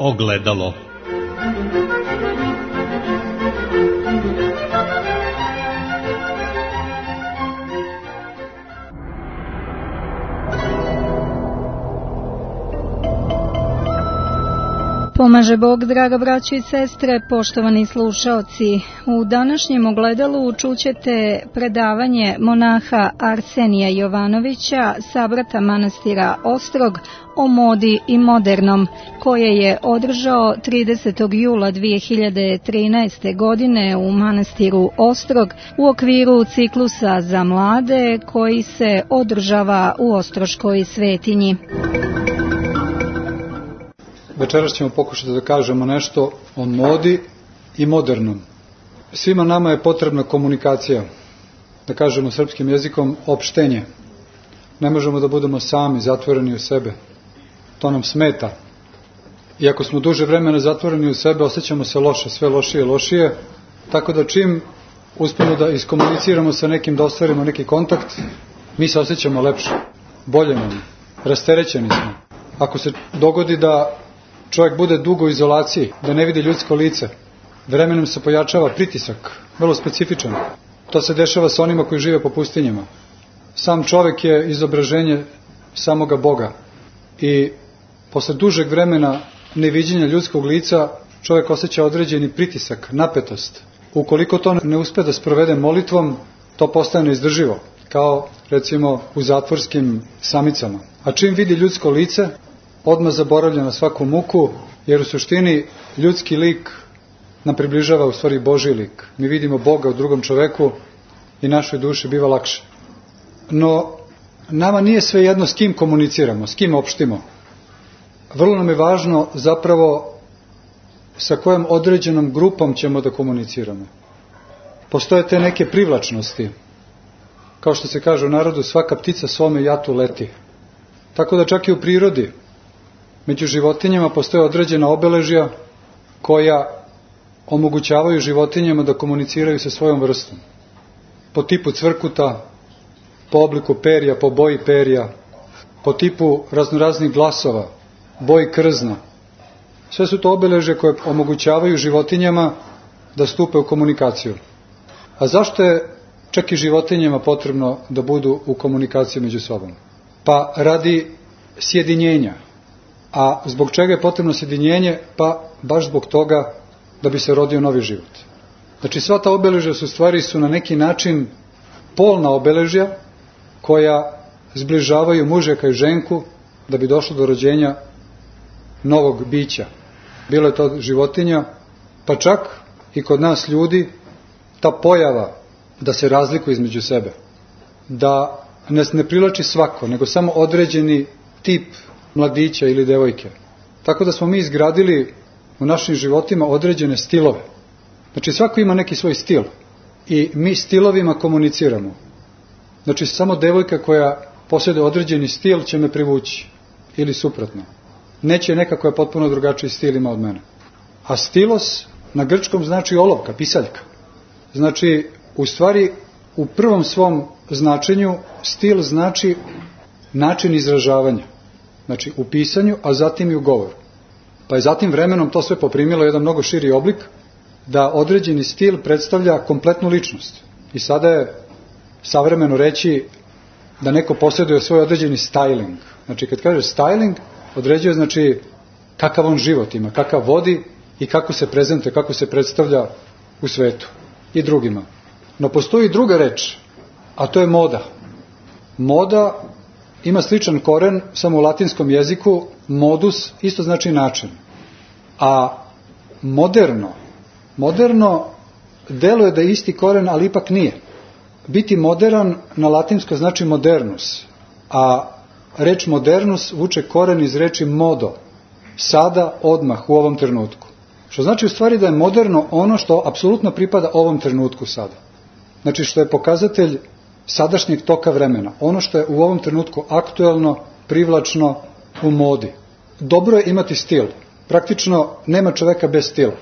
Ogledalo. Pomaže Bog, draga braćo i sestre, poštovani slušaoci. U današnjem ogledalu čućete predavanje monaha Arsenija Jovanovića, sabrata manastira Ostrog, o modi i modernom, koje je održao 30. jula 2013. godine u manastiru Ostrog u okviru ciklusa za mlade koji se održava u Ostroškoj svetinji. Večeras ćemo pokušati da kažemo nešto o modi i modernom. Svima nama je potrebna komunikacija, da kažemo srpskim jezikom opštenje. Ne možemo da budemo sami, zatvoreni u sebe. To nam smeta. I ako smo duže vremena zatvoreni u sebe, osjećamo se loše, sve lošije i lošije. Tako da čim uspemo da iskomuniciramo sa nekim, da ostvarimo neki kontakt, mi se osjećamo lepše, bolje nam, rasterećeni smo. Ako se dogodi da čovjek bude dugo u izolaciji, da ne vidi ljudsko lice, vremenom se pojačava pritisak, vrlo specifičan. To se dešava sa onima koji žive po pustinjama. Sam čovjek je izobraženje samoga Boga i posle dužeg vremena neviđenja ljudskog lica čovjek osjeća određeni pritisak, napetost. Ukoliko to ne uspe da sprovede molitvom, to postane neizdrživo, kao recimo u zatvorskim samicama. A čim vidi ljudsko lice, odmah zaboravlja na svaku muku, jer u suštini ljudski lik nam približava u stvari Božji lik. Mi vidimo Boga u drugom čoveku i našoj duši biva lakše. No, nama nije svejedno s kim komuniciramo, s kim opštimo. Vrlo nam je važno zapravo sa kojom određenom grupom ćemo da komuniciramo. Postoje te neke privlačnosti. Kao što se kaže u narodu, svaka ptica svome jatu leti. Tako da čak i u prirodi, među životinjama postoje određena obeležja koja omogućavaju životinjama da komuniciraju sa svojom vrstom. Po tipu cvrkuta, po obliku perja, po boji perja, po tipu raznoraznih glasova, boji krzna. Sve su to obeležje koje omogućavaju životinjama da stupe u komunikaciju. A zašto je čak i životinjama potrebno da budu u komunikaciji među sobom? Pa radi sjedinjenja. A zbog čega je potrebno sjedinjenje? Pa baš zbog toga da bi se rodio novi život. Znači sva ta obeležja su na neki način polna obeležja koja zbližavaju mužjaka i ženku da bi došlo do rođenja novog bića. Bilo je to životinja, pa čak i kod nas ljudi, ta pojava da se razlikuje između sebe, da nas ne privlači svako, nego samo određeni tip mladića ili devojke. Tako da smo mi izgradili u našim životima određene stilove. Znači svako ima neki svoj stil i mi stilovima komuniciramo. Znači samo devojka koja posjeduje određeni stil će me privući ili suprotno. Neće neka koja potpuno drugačiji stil ima od mene. A stilos na grčkom znači olovka, pisaljka. Znači u stvari u prvom svom značenju stil znači način izražavanja. Znači u pisanju, a zatim i u govoru. Pa je zatim vremenom to sve poprimilo jedan mnogo širi oblik, da određeni stil predstavlja kompletnu ličnost. I sada je savremeno reći da neko posjeduje svoj određeni styling. Znači kad kaže styling, određuje znači kakav on život ima, kakav vodi i kako se prezentuje, kako se predstavlja u svetu i drugima. No postoji druga reč, a to je moda. Moda ima sličan koren, samo u latinskom jeziku, modus isto znači način. A moderno deluje da je isti koren, ali ipak nije. Biti modern na latinsko znači modernus, a reč modernus vuče koren iz reči modo, sada, odmah, u ovom trenutku. Što znači u stvari da je moderno ono što apsolutno pripada ovom trenutku sada. Znači što je pokazatelj sadašnjeg toka vremena. Ono što je u ovom trenutku aktuelno, privlačno, u modi. Dobro je imati stil. Praktično nema čoveka bez stila.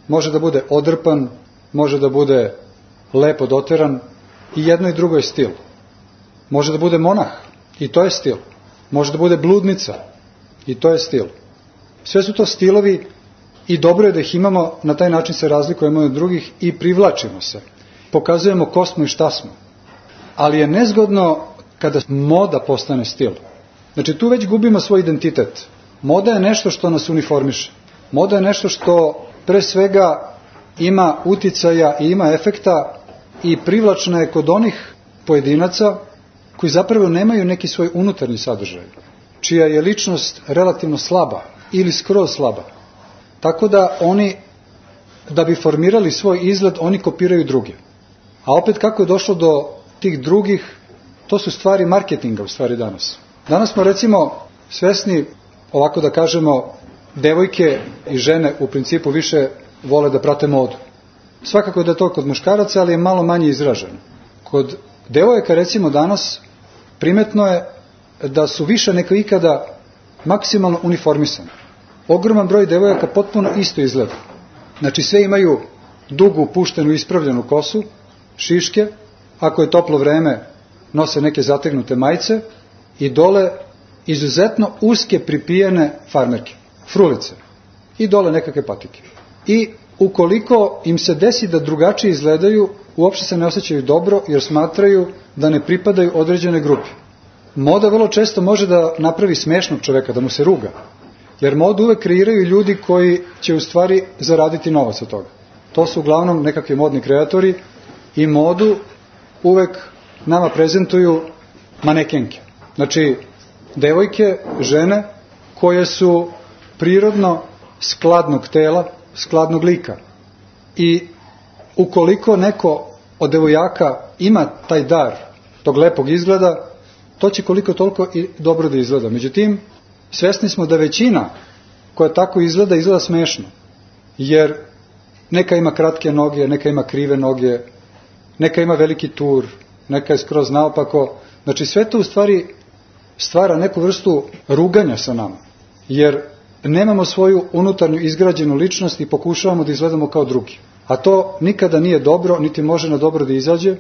Može da bude odrpan, može da bude lepo doteran, i jedno i drugo je stil. Može da bude monah, i to je stil. Može da bude bludnica, i to je stil. Sve su to stilovi i dobro je da ih imamo, na taj način se razlikujemo od drugih i privlačimo se. Pokazujemo ko smo i šta smo. Ali je nezgodno kada moda postane stil. Znači tu već gubimo svoj identitet. Moda je nešto što nas uniformiše. Moda je nešto što pre svega ima uticaja i ima efekta i privlačna je kod onih pojedinaca koji zapravo nemaju neki svoj unutarnji sadržaj, čija je ličnost relativno slaba ili skroz slaba. Tako da oni, da bi formirali svoj izgled, oni kopiraju druge. A opet kako je došlo do tih drugih, to su stvari marketinga u stvari danas. Danas smo recimo svesni, ovako da kažemo, devojke i žene u principu više vole da prate modu. Svakako je da je to kod muškaraca, ali je malo manje izraženo. Kod devojaka recimo danas primetno je da su više nego ikada maksimalno uniformisane. Ogroman broj devojaka potpuno isto izgleda. Znači sve imaju dugu, puštenu, ispravljenu kosu, šiške, ako je toplo vreme nose neke zategnute majice i dole izuzetno uske pripijene farmerke, frulice i dole nekakve patike. I ukoliko im se desi da drugačije izgledaju, uopšte se ne osjećaju dobro jer smatraju da ne pripadaju određene grupi. Moda vrlo često može da napravi smešnog čoveka, da mu se ruga. Jer modu uvek kreiraju ljudi koji će u stvari zaraditi novac od toga. To su uglavnom nekakvi modni kreatori i modu uvek nama prezentuju manekenke. Znači, devojke, žene koje su prirodno skladnog tela, skladnog lika. I ukoliko neko od devojaka ima taj dar tog lepog izgleda, to će koliko toliko i dobro da izgleda. Međutim, svesni smo da većina koja tako izgleda smešno. Jer neka ima kratke noge, neka ima krive noge, neka ima veliki tur, neka je skroz naopako. Znači sve to u stvari stvara neku vrstu ruganja sa nama. Jer nemamo svoju unutarnju izgrađenu ličnost i pokušavamo da izgledamo kao drugi. A to nikada nije dobro, niti može na dobro da izađe,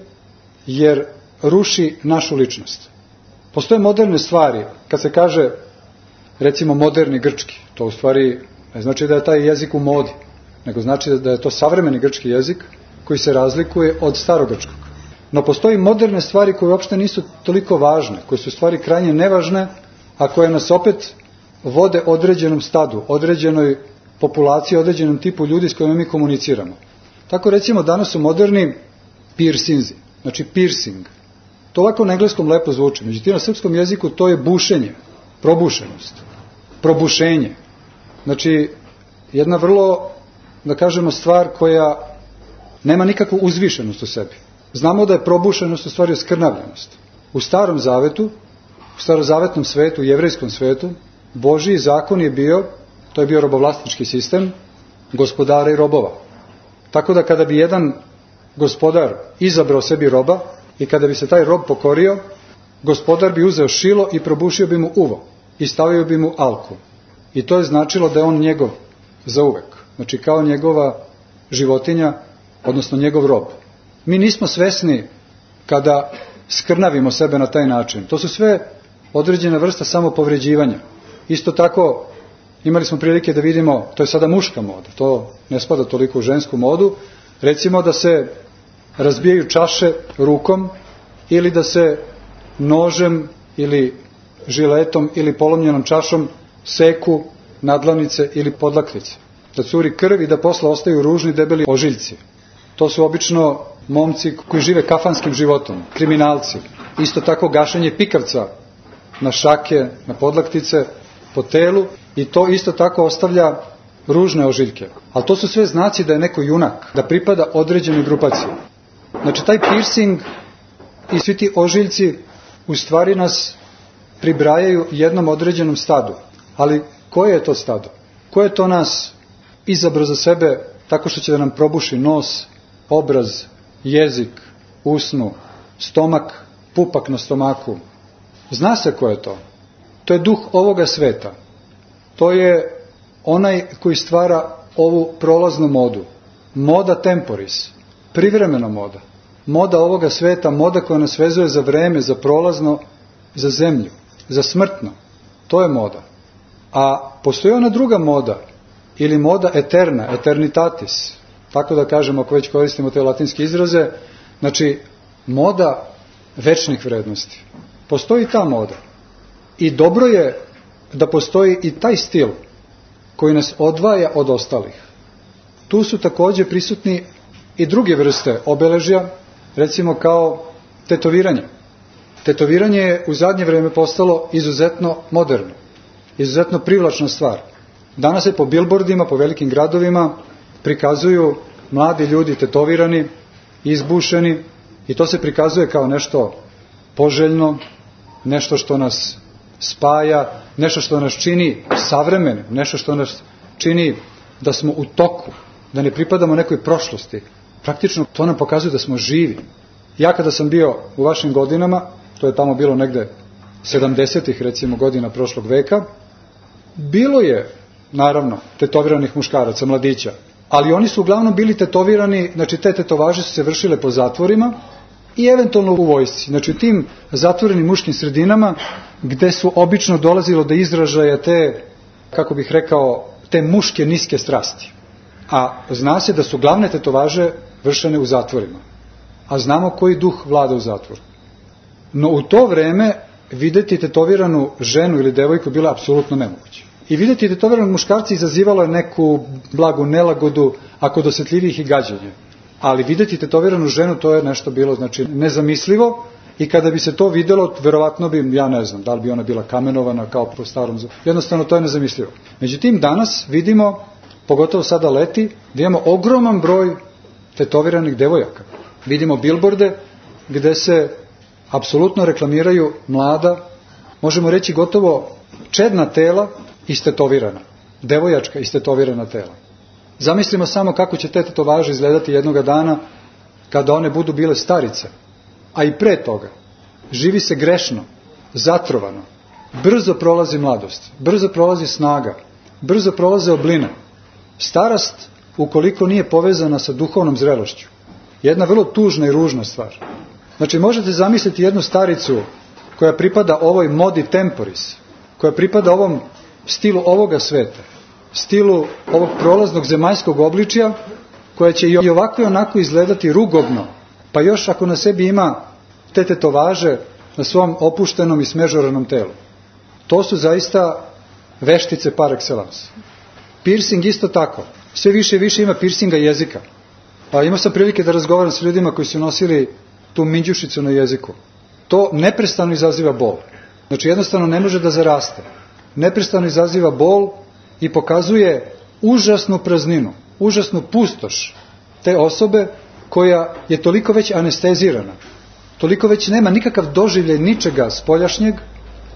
jer ruši našu ličnost. Postoje moderne stvari, kad se kaže recimo moderni grčki, to u stvari ne znači da je taj jezik u modi, nego znači da je to savremeni grčki jezik koji se razlikuje od starogrčkog. No postoji moderne stvari koje uopšte nisu toliko važne, koje su stvari krajnje nevažne, a koje nas opet vode određenom stadu, određenoj populaciji, određenom tipu ljudi s kojima mi komuniciramo. Tako recimo danas su moderni piercinzi, znači piercing. To ovako na engleskom lepo zvuči, međutim na srpskom jeziku to je bušenje, probušenost, probušenje. Znači jedna vrlo, da kažemo, stvar koja nema nikakvu uzvišenost u sebi. Znamo da je probušenost u stvari skrnavljenost. U Starom Zavetu, u starozavetnom svetu, u jevrejskom svetu, Božji zakon je bio, to je bio robovlasnički sistem, gospodara i robova. Tako da kada bi jedan gospodar izabrao sebi roba i kada bi se taj rob pokorio, gospodar bi uzeo šilo i probušio bi mu uvo i stavio bi mu alku. I to je značilo da je on njegov zauvek. Znači kao njegova životinja, odnosno njegov rob. Mi nismo svesni kada skrnavimo sebe na taj način. To su sve određena vrsta samopovređivanja. Isto tako imali smo prilike da vidimo, to je sada muška moda, to ne spada toliko u žensku modu, recimo da se razbijaju čaše rukom ili da se nožem ili žiletom ili polomljenom čašom seku nadlanice ili podlaktice. Da curi krv i da posle ostaju ružni debeli ožiljci. To su obično momci koji žive kafanskim životom, kriminalci. Isto tako gašenje pikavca na šake, na podlaktice, po telu i to isto tako ostavlja ružne ožiljke. Ali to su sve znaci da je neko junak, da pripada određenoj grupaciji. Znači taj piercing i svi ti ožiljci u stvari nas pribrajaju jednom određenom stadu. Ali koje je to stado? Ko je to nas izabrao za sebe tako što će da nam probuši nos, obraz, jezik, usnu, stomak, pupak na stomaku? Zna se ko je to. To je duh ovoga sveta. To je onaj koji stvara ovu prolaznu modu. Moda temporis, privremena moda. Moda ovoga sveta, moda koja nas vezuje za vreme, za prolazno, za zemlju, za smrtno. To je moda. A postoji ona druga moda, ili moda eterna, eternitatis, tako da kažemo ako već koristimo te latinske izraze, znači moda večnih vrednosti. Postoji ta moda. I dobro je da postoji i taj stil koji nas odvaja od ostalih. Tu su također prisutni i druge vrste obeležja, recimo kao tetoviranje. Tetoviranje je u zadnje vrijeme postalo izuzetno moderno, izuzetno privlačna stvar. Danas se po billboardima, po velikim gradovima prikazuju mladi ljudi tetovirani, izbušeni, i to se prikazuje kao nešto poželjno, nešto što nas spaja, nešto što nas čini savremenim, nešto što nas čini da smo u toku, da ne pripadamo nekoj prošlosti. Praktično to nam pokazuje da smo živi. Ja kada sam bio u vašim godinama, to je tamo bilo negde 70-ih recimo godina prošlog veka, bilo je naravno tetoviranih muškaraca, mladića, ali oni su uglavnom bili tetovirani, znači te tetovaže su se vršile po zatvorima i eventualno u vojsci, znači u tim zatvorenim muškim sredinama gde su obično dolazilo do izražaja te, kako bih rekao, te muške niske strasti. A zna se da su glavne tetovaže vršene u zatvorima. A znamo koji duh vlada u zatvoru. No u to vreme vidjeti tetoviranu ženu ili devojku bilo apsolutno nemoguće. I vidjeti tetoviranu muškarca izazivalo je neku blagu nelagodu, a kod osjetljivih i gađenje. Ali vidjeti tetoviranu ženu, to je nešto bilo, znači, nezamislivo, i kada bi se to vidjelo, verovatno bi, ja ne znam, da li bi ona bila kamenovana kao po starom, jednostavno to je nezamislivo. Međutim, danas vidimo, pogotovo sada leti, da imamo ogroman broj tetoviranih devojaka. Vidimo billboarde gde se apsolutno reklamiraju mlada, možemo reći gotovo čedna tela istetovirana, devojačka istetovirana tela. Zamislimo samo kako će te tetovaže izgledati jednoga dana kada one budu bile starice, a i pre toga. Živi se grešno, zatrovano, brzo prolazi mladost, brzo prolazi snaga, brzo prolaze obline. Starost, ukoliko nije povezana sa duhovnom zrelošću, je jedna vrlo tužna i ružna stvar. Znači, možete zamisliti jednu staricu koja pripada ovoj modi temporis, koja pripada ovom stilu ovoga sveta, stilu ovog prolaznog zemaljskog obličja, koja će i ovako i onako izgledati rugobno, pa još ako na sebi ima te tetovaže na svom opuštenom i smežoranom telu. To su zaista veštice par excellence. Piercing isto tako. Sve više i više ima piercinga jezika. Pa imao sam prilike da razgovaram s ljudima koji su nosili tu minđušicu na jeziku. To neprestano izaziva bol. Znači jednostavno ne može da zaraste. Neprestano izaziva bol i pokazuje užasnu prazninu, užasnu pustoš te osobe koja je toliko već anestezirana, toliko već nema nikakav doživljaj ničega spoljašnjeg,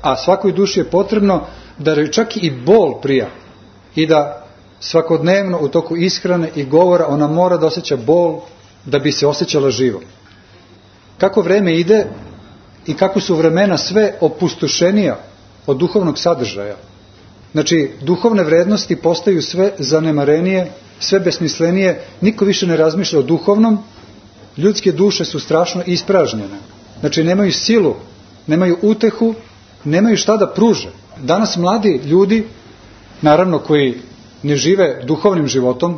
a svakoj duši je potrebno da joj čak i bol prija i da svakodnevno u toku ishrane i govora ona mora da osjeća bol da bi se osjećala živom. Kako vreme ide i kako su vremena sve opustošenija od duhovnog sadržaja. Znači, duhovne vrednosti postaju sve zanemarenije, sve besmislenije, niko više ne razmišlja o duhovnom, ljudske duše su strašno ispražnjene. Znači, nemaju silu, nemaju utehu, nemaju šta da pruže. Danas mladi ljudi, naravno koji ne žive duhovnim životom,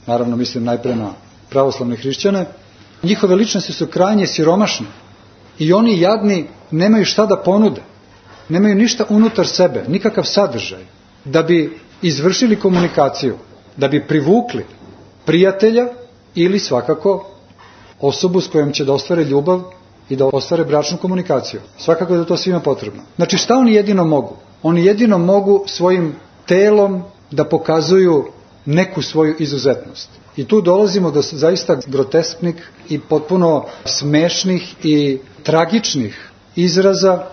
naravno mislim najpre na pravoslavne hrišćane, njihove ličnosti su krajnje siromašne i oni jadni nemaju šta da ponude, nemaju ništa unutar sebe, nikakav sadržaj, da bi izvršili komunikaciju, da bi privukli prijatelja ili svakako osobu s kojom će da ostvare ljubav i da ostvare bračnu komunikaciju. Svakako je da to svima potrebno. Znači šta oni jedino mogu? Oni jedino mogu svojim telom da pokazuju neku svoju izuzetnost. I tu dolazimo do zaista grotesknih i potpuno smešnih i tragičnih izraza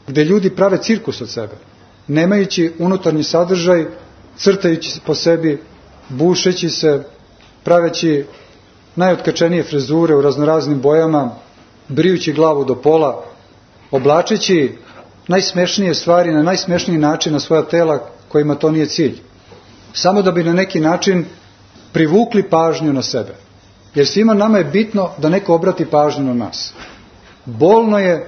gde ljudi prave cirkus od sebe, nemajući unutarnji sadržaj, crtajući se po sebi, bušeći se, praveći najotkačenije frezure u raznoraznim bojama, brijući glavu do pola, oblačeći najsmešnije stvari na najsmešniji način na svoja tela kojima to nije cilj. Samo da bi na neki način privukli pažnju na sebe. Jer svima nama je bitno da neko obrati pažnju na nas. Bolno je,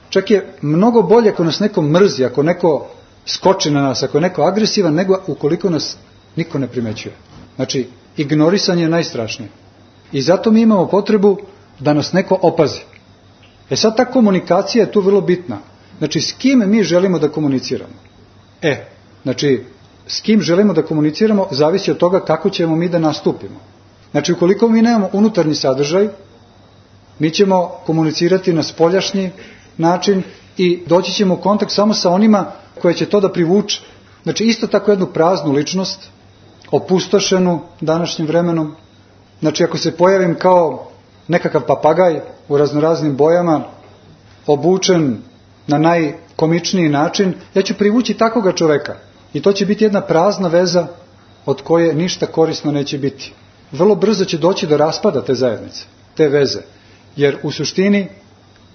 čak je mnogo bolje ako nas neko mrzi, ako neko skoči na nas, ako je neko agresivan, nego ukoliko nas niko ne primećuje. Znači, ignorisanje je najstrašnije. I zato mi imamo potrebu da nas neko opazi. Sad ta komunikacija je tu vrlo bitna. Znači, s kim mi želimo da komuniciramo? Znači, s kim želimo da komuniciramo zavisi od toga kako ćemo mi da nastupimo. Znači, ukoliko mi nemamo unutarnji sadržaj, mi ćemo komunicirati na spoljašnji način i doći ćemo u kontakt samo sa onima koje će to da privuče. Znači, isto tako jednu praznu ličnost, opustošenu današnjim vremenom. Znači, ako se pojavim kao nekakav papagaj u raznoraznim bojama, obučen na najkomičniji način, ja ću privući takvoga čoveka. I to će biti jedna prazna veza od koje ništa korisno neće biti. Vrlo brzo će doći do raspada te zajednice, te veze. Jer u suštini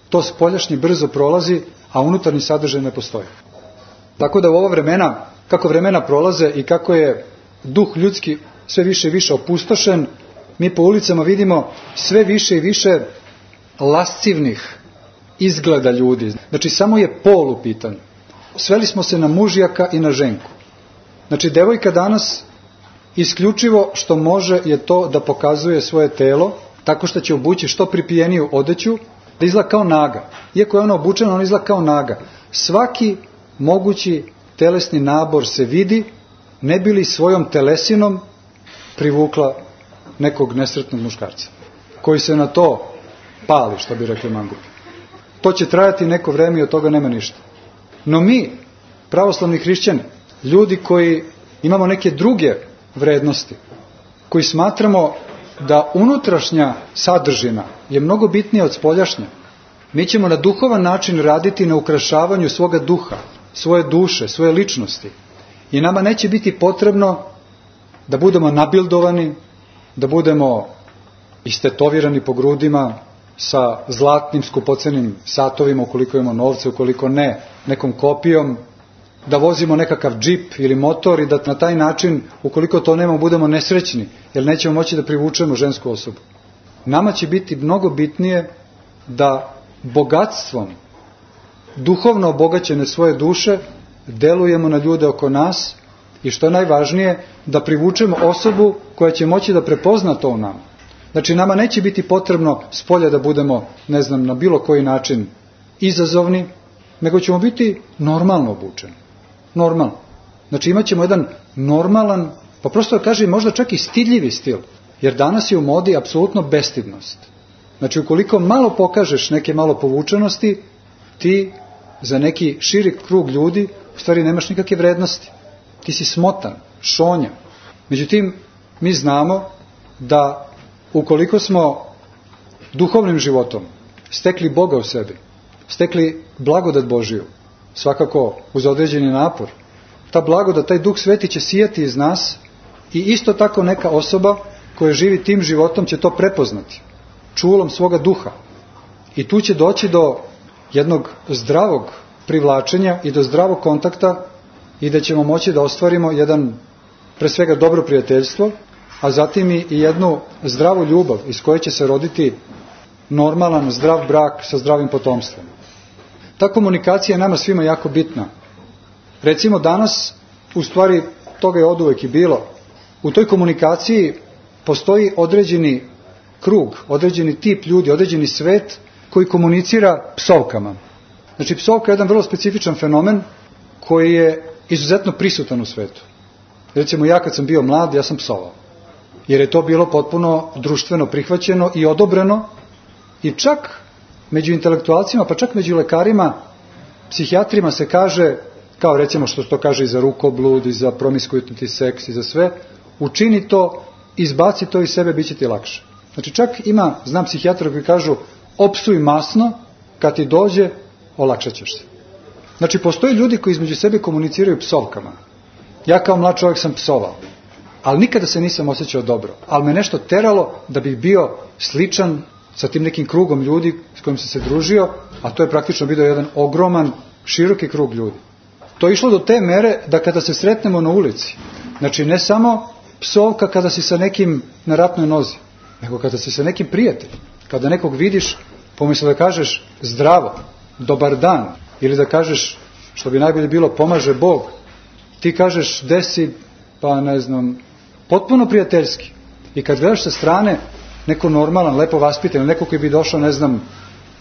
to spoljašnje brzo prolazi, a unutarnji sadržaj ne postoji. Tako da u ova vremena, kako vremena prolaze i kako je duh ljudski sve više i više opustošen, mi po ulicama vidimo sve više i više lascivnih izgleda ljudi. Znači, samo je pol u pitanju. Sveli smo se na mužjaka i na ženku. Znači, devojka danas isključivo što može je to da pokazuje svoje telo, tako što će obući što pripijeniju odeću, da izgleda kao naga. Iako je ona obučena, ona izgleda kao naga. Svaki mogući telesni nabor se vidi, ne bi li svojom telesinom privukla nekog nesretnog muškarca, koji se na to pali, što bi rekli mangupi. To će trajati neko vreme i od toga nema ništa. No mi, pravoslavni hrišćani, ljudi koji imamo neke druge vrednosti, koji smatramo da unutrašnja sadržina je mnogo bitnija od spoljašnje, mi ćemo na duhovan način raditi na ukrašavanju svoga duha, svoje duše, svoje ličnosti. I nama neće biti potrebno da budemo nabildovani, da budemo istetovirani po grudima sa zlatnim skupocenim satovima, ukoliko imamo novce, ukoliko ne, nekom kopijom, da vozimo nekakav džip ili motor i da na taj način, ukoliko to nemamo, budemo nesrećni, jer nećemo moći da privučemo žensku osobu. Nama će biti mnogo bitnije da bogatstvom, duhovno obogaćene svoje duše, delujemo na ljude oko nas i što je najvažnije, da privučemo osobu koja će moći da prepozna to u nama. Znači, nama neće biti potrebno spolja da budemo, ne znam, na bilo koji način izazovni, nego ćemo biti normalno obučeni. Normalno. Znači, imat ćemo jedan normalan, pa prosto da kažem, možda čak i stidljivi stil, jer danas je u modi apsolutno bestidnost. Znači, ukoliko malo pokažeš neke malo povučenosti, ti za neki širi krug ljudi u stvari nemaš nikakve vrednosti. Ti si smotan, šonja. Međutim, mi znamo da ukoliko smo duhovnim životom stekli Boga u sebi, stekli blagodat Božiju, svakako uz određeni napor, ta blagodat, taj Duh Sveti će sijati iz nas i isto tako neka osoba koja živi tim životom će to prepoznati čulom svoga duha. I tu će doći do jednog zdravog privlačenja i do zdravog kontakta i da ćemo moći da ostvarimo jedan, pre svega, dobro prijateljstvo, a zatim i jednu zdravu ljubav iz koje će se roditi normalan, zdrav brak sa zdravim potomstvom. Ta komunikacija je nama svima jako bitna. Recimo danas, u stvari toga je oduvek i bilo, u toj komunikaciji postoji određeni krug, određeni tip ljudi, određeni svet koji komunicira psovkama. Znači, psovka je jedan vrlo specifičan fenomen koji je izuzetno prisutan u svetu. Recimo, ja kad sam bio mlad, ja sam psovao. Jer je to bilo potpuno društveno prihvaćeno i odobreno i čak među intelektualcima, pa čak među lekarima, psihijatrima se kaže, kao recimo što to kaže i za rukoblud, i za promiskuitni seks, i za sve, učini to, izbaci to iz sebe, bit će ti lakše. Znači, čak znam psihijatra koji kažu, opsuj masno, kad ti dođe, olakšat ćeš se. Znači, postoji ljudi koji između sebe komuniciraju psovkama. Ja kao mlad čovjek sam psovao, ali nikada se nisam osjećao dobro. Ali me nešto teralo da bih bio sličan sa tim nekim krugom ljudi s kojim sam se družio, a to je praktično bio jedan ogroman, široki krug ljudi. To je išlo do te mere da kada se sretnemo na ulici, znači ne samo psovka kada si sa nekim na ratnoj nozi, nego kada si sa nekim prijateljem, kada nekog vidiš, pomyslo da kažeš zdravo, dobar dan, ili da kažeš što bi najbolje bilo pomaže Bog, ti kažeš desi, pa ne znam, potpuno prijateljski. I kad gledaš sa strane neko normalan, lepo vaspitan, neko koji bi došao, ne znam,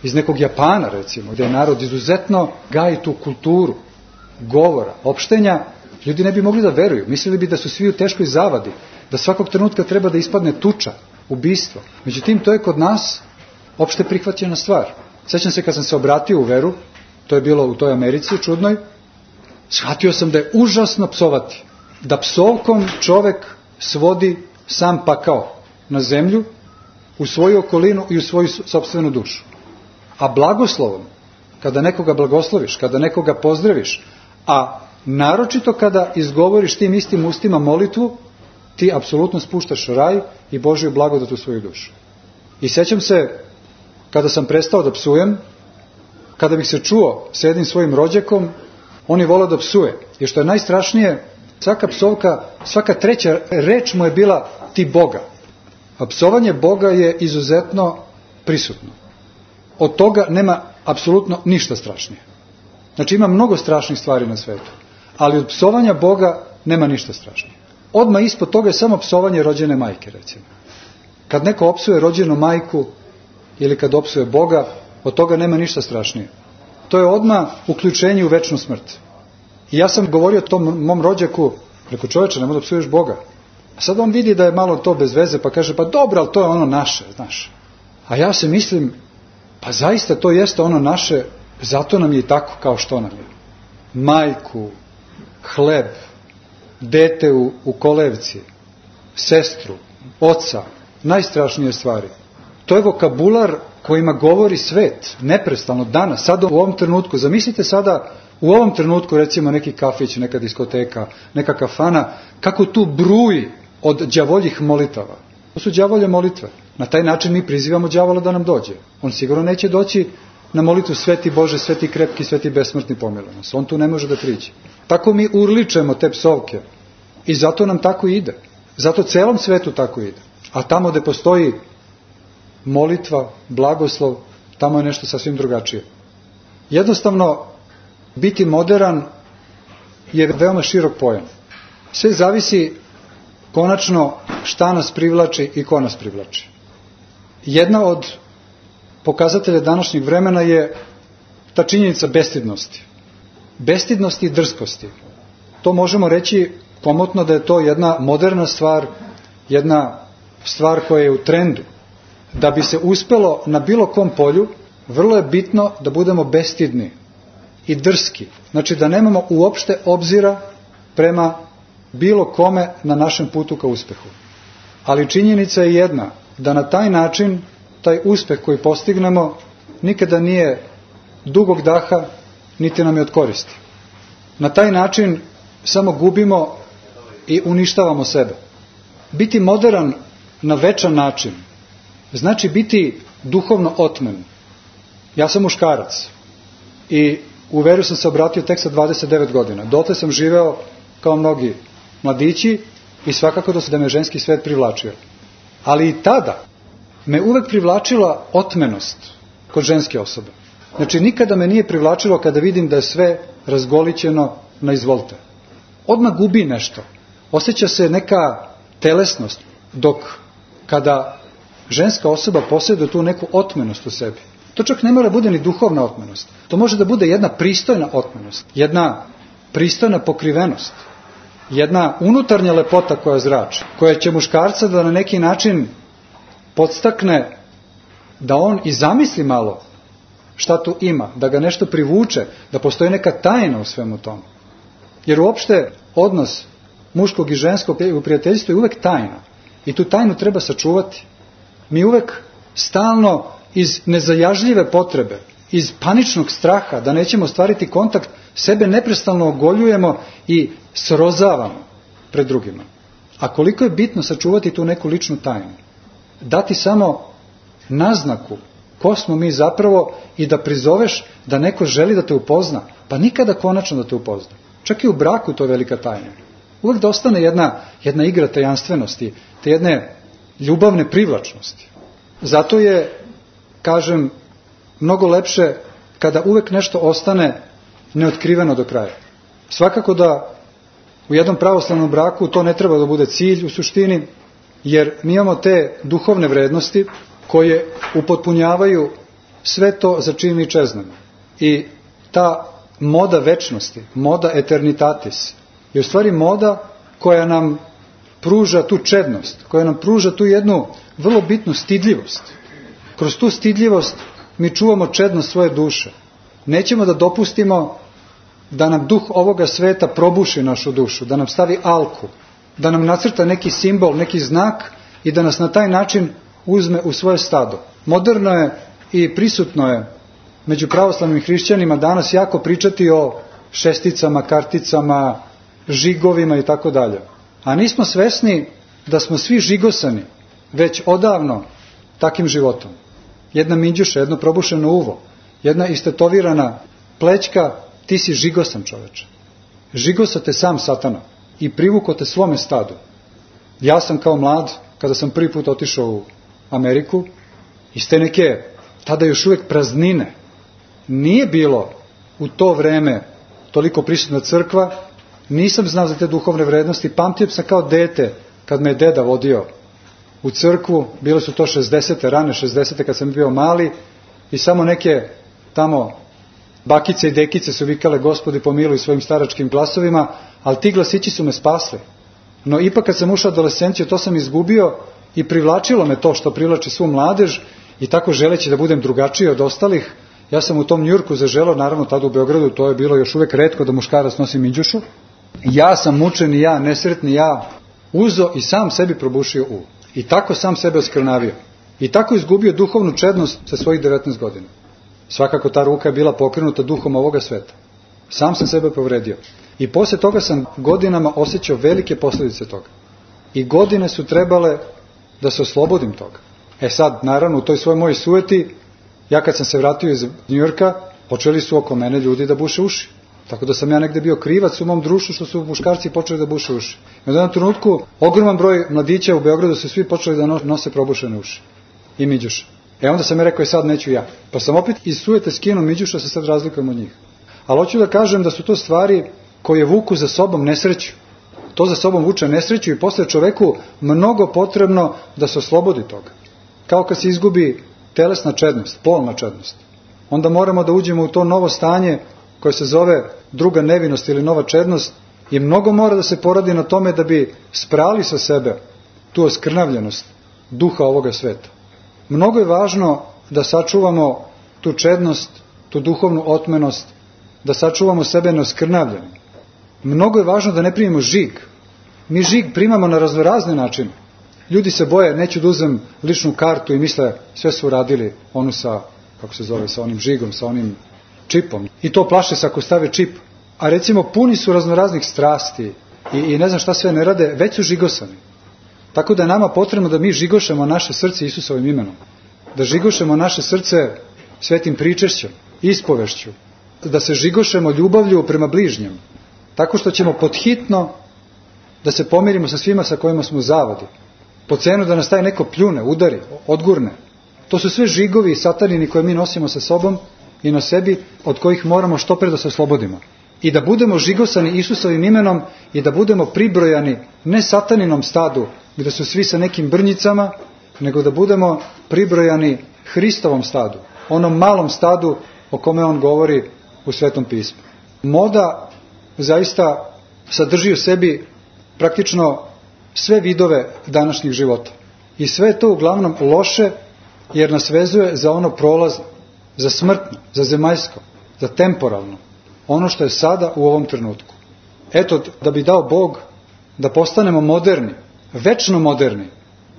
iz nekog Japana recimo, gdje je narod izuzetno gaji tu kulturu govora, opštenja, ljudi ne bi mogli da veruju. Mislili bi da su svi u teškoj zavadi, da svakog trenutka treba da ispadne tuča, ubistvo. Međutim, to je kod nas opšte prihvaćena stvar. Sećam se kad sam se obratio u veru, to je bilo u toj Americi čudnoj, shvatio sam da je užasno psovati. Da psovkom čovek svodi sam pakao na zemlju, u svoju okolinu i u svoju sopstvenu dušu. A blagoslovom, kada nekoga blagosloviš, kada nekoga pozdraviš, a naročito kada izgovoriš tim istim ustima molitvu, ti apsolutno spuštaš raj i Božju blagodat u svoju dušu. I sećam se, kada sam prestao da psujem, kada bih se čuo s jednim svojim rođakom, on je volao da psuje. I što je najstrašnije, svaka psovka, svaka treća reč mu je bila ti Boga. A psovanje Boga je izuzetno prisutno. Od toga nema apsolutno ništa strašnije. Znači ima mnogo strašnih stvari na svetu, ali od psovanja Boga nema ništa strašnije. Odmah ispod toga je samo psovanje rođene majke, recimo. Kad neko opsuje rođenu majku ili kad opsuje Boga, od toga nema ništa strašnije. To je odmah uključenje u večnu smrt. I ja sam govorio tom mom rođaku, rekao, čoveče, nemoj da psuješ Boga. A sad on vidi da je malo to bez veze, pa kaže, pa dobro, ali to je ono naše, znaš. A ja se mislim, pa zaista to jeste ono naše, zato nam je i tako kao što nam je. Majku, hleb, dete u kolevci, sestru, oca, najstrašnije stvari. To je vokabular kojima govori svet, neprestano, danas, sada u ovom trenutku. Zamislite sada u ovom trenutku, recimo, neki kafić, neka diskoteka, neka kafana, kako tu bruji od đavoljih molitava. To su đavolje molitve. Na taj način mi prizivamo đavola da nam dođe. On sigurno neće doći na molitvu Sveti Bože, Sveti krepki, Sveti besmrtni pomiluje nas. On tu ne može da priđe. Tako mi urličemo te psovke. I zato nam tako ide. Zato celom svetu tako ide. A tamo gde postoji molitva, blagoslov, tamo je nešto sasvim drugačije. Jednostavno, biti moderan je veoma širok pojam. Sve zavisi konačno šta nas privlači i ko nas privlači. Jedna od pokazatelja današnjeg vremena je ta činjenica bestidnosti. Bestidnosti i drskosti. To možemo reći komotno da je to jedna moderna stvar, jedna stvar koja je u trendu. Da bi se uspelo na bilo kom polju, vrlo je bitno da budemo bestidni i drski. Znači da nemamo uopšte obzira prema bilo kome na našem putu ka uspehu. Ali činjenica je jedna, da na taj način, taj uspeh koji postignemo, nikada nije dugog daha, niti nam je od koristi. Na taj način samo gubimo i uništavamo sebe. Biti moderan na večan način znači biti duhovno otmen. Ja sam muškarac i u veru sam se obratio tek sa 29 godina. Dotle sam živeo kao mnogi mladići i svakako da me ženski svet privlačio. Ali i tada me uvek privlačila otmenost kod ženske osobe. Znači nikada me nije privlačilo kada vidim da je sve razgolićeno na izvolte. Odmah gubi nešto. Osjeća se neka telesnost, dok kada ženska osoba posjeduje tu neku otmenost u sebi. To čak ne mora bude ni duhovna otmenost. To može da bude jedna pristojna otmenost, jedna pristojna pokrivenost, jedna unutarnja lepota koja zrači, koja će muškarca da na neki način podstakne da on i zamisli malo šta tu ima, da ga nešto privuče, da postoji neka tajna u svemu tomu. Jer uopšte odnos muškog i ženskog u prijateljstvu je uvek tajna. I tu tajnu treba sačuvati. Mi uvek stalno iz nezajažljive potrebe, iz paničnog straha da nećemo ostvariti kontakt, sebe neprestano ogoljujemo i srozavamo pred drugima. A koliko je bitno sačuvati tu neku ličnu tajnu? Dati samo naznaku ko smo mi zapravo i da prizoveš da neko želi da te upozna, pa nikada konačno da te upozna. Čak i u braku to je velika tajna. Uvek da ostane jedna igra tajanstvenosti, te jedne ljubavne privlačnosti. Zato je, kažem, mnogo lepše kada uvek nešto ostane neotkriveno do kraja. Svakako da u jednom pravoslavnom braku to ne treba da bude cilj u suštini, jer mi imamo te duhovne vrednosti koje upotpunjavaju sve to za čim mi čeznemo. I ta moda večnosti, moda eternitatis, je u stvari moda koja nam pruža tu čednost, koja nam pruža tu jednu vrlo bitnu stidljivost. Kroz tu stidljivost mi čuvamo čednost svoje duše. Nećemo da dopustimo da nam duh ovoga sveta probuši našu dušu, da nam stavi alku, da nam nacrta neki simbol, neki znak i da nas na taj način uzme u svoje stado. Moderno je i prisutno je među pravoslavnim hrišćanima danas jako pričati o šesticama, karticama, žigovima i tako dalje. A nismo svesni da smo svi žigosani već odavno takim životom. Jedna minđuša, jedno probušeno uvo, jedna istetovirana plećka, ti si žigosan čoveče. Žigosa te sam satana i privuko te svome stadu. Ja sam kao mlad, kada sam prvi put otišao u Ameriku, iz te neke, tada još uvijek praznine, nije bilo u to vreme toliko prisutna crkva, nisam znao za te duhovne vrednosti, pamtim sam kao dete, kad me je deda vodio u crkvu, bile su to 60. rane 60. kad sam bio mali i samo neke tamo bakice i dekice su vikale Gospodi pomiluj svojim staračkim glasovima, ali ti glasići su me spasli. No ipak kad sam ušao u adolescenciju, to sam izgubio i privlačilo me to što privlači svu mladež i tako želeći da budem drugačiji od ostalih, ja sam u tom Njujorku zaželao, naravno tada u Beogradu, to je bilo još uvek retko da muškarac nosi minđušu. Ja sam mučeni ja, nesretni ja, uzo i sam sebi probušio uvo. I tako sam sebe oskrnavio. I tako izgubio duhovnu čednost sa svojih 19 godina. Svakako ta ruka je bila pokrenuta duhom ovoga sveta. Sam sam sebe povredio. I posle toga sam godinama osjećao velike posljedice toga. I godine su trebale da se oslobodim toga. Sad, naravno, u toj svojoj mojoj sujeti, ja kad sam se vratio iz Njujorka, počeli su oko mene ljudi da buše uši. Tako da sam ja negde bio krivac u mom društvu što su muškarci počeli da buše uši. I u jednom trenutku ogroman broj mladića u Beogradu su svi počeli da nose probušene uši i miđuše. Onda sam ja rekao, sad neću ja. Pa sam opet iz sujete skinuo miđuša, se sad razlikujem od njih. Ali hoću da kažem da su to stvari koje vuku za sobom nesreću. To za sobom vuče nesreću i posle čoveku mnogo potrebno da se oslobodi toga. Kao kad se izgubi telesna čednost, polna čednost. Onda moramo da uđemo u to novo stanje koje se zove druga nevinost ili nova čednost i mnogo mora da se poradi na tome da bi sprali sa sebe tu oskrnavljenost duha ovoga sveta. Mnogo je važno da sačuvamo tu čednost, tu duhovnu otmenost, da sačuvamo sebe neoskrnavljenim. Mnogo je važno da ne primimo žig. Mi žig primamo na raznorazne načine. Ljudi se boje, neću da uzem ličnu kartu i misle sve su uradili onu sa, kako se zove, sa onim žigom, sa onim čipom. I to plaše se ako stave čip. A recimo puni su raznoraznih strasti i ne znam šta sve ne rade, već su žigosani. Tako da je nama potrebno da mi žigošemo naše srce Isusovim imenom. Da žigošemo naše srce svetim pričešćom, ispovešću. Da se žigošemo ljubavlju prema bližnjem. Tako što ćemo podhitno da se pomirimo sa svima sa kojima smo u zavodi. Po cenu da nas taj neko pljune, udari, odgurne. To su sve žigovi i satanini koje mi nosimo sa sobom i na sebi, od kojih moramo što pre da se oslobodimo. I da budemo žigosani Isusovim imenom i da budemo pribrojani ne sataninom stadu, gde su svi sa nekim brnjicama, nego da budemo pribrojani Hristovom stadu, onom malom stadu o kome on govori u Svetom pismu. Moda zaista sadrži u sebi praktično sve vidove današnjih života. I sve je to uglavnom loše, jer nas vezuje za ono prolazno, za smrtno, za zemaljsko, za temporalno, ono što je sada u ovom trenutku. Eto, da bi dao Bog da postanemo moderni, večno moderni,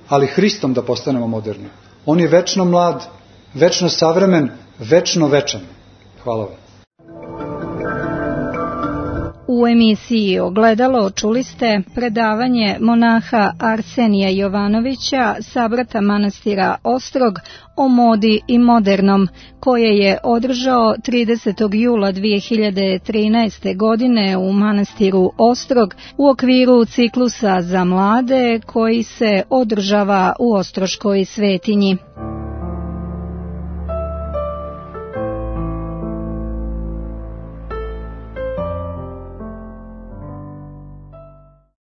ali Hristom da postanemo moderni. On je večno mlad, večno savremen, večno večan. Hvala vam. U emisiji Ogledalo čuli ste predavanje monaha Arsenija Jovanovića, sabrata manastira Ostrog, o modi i modernom, koje je održao 30. jula 2013. godine u manastiru Ostrog u okviru ciklusa za mlade koji se održava u Ostroškoj svetinji.